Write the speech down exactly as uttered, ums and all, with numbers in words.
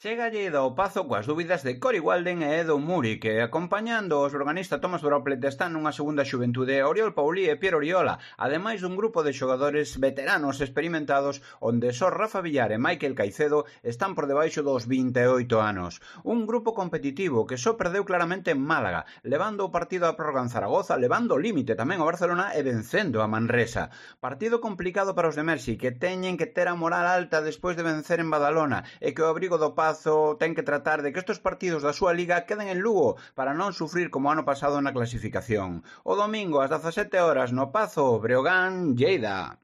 Chega Lleida ao Pazo coas dúbidas de Cory Walden e Edo Muri, que acompañando os organista Tomás Droplet están nunha segunda xuventude Oriol Paulí e Piero Oriola, ademais dun grupo de xogadores veteranos experimentados onde só Rafa Villar e Michael Caicedo están por debaixo dos vinte e oito anos. Un grupo competitivo que só perdeu claramente en Málaga, levando o partido a prórroga en Zaragoza, levando o límite tamén ao Barcelona e vencendo a Manresa. Partido complicado para os de Mersi, que teñen que ter a moral alta despois de vencer en Badalona e que o abrigo do Pazo ten que tratar de que estes partidos da súa liga queden en Lugo para non sufrir como ano pasado na clasificación. O domingo ás dezasete horas no Pazo, Breogán, Lleida.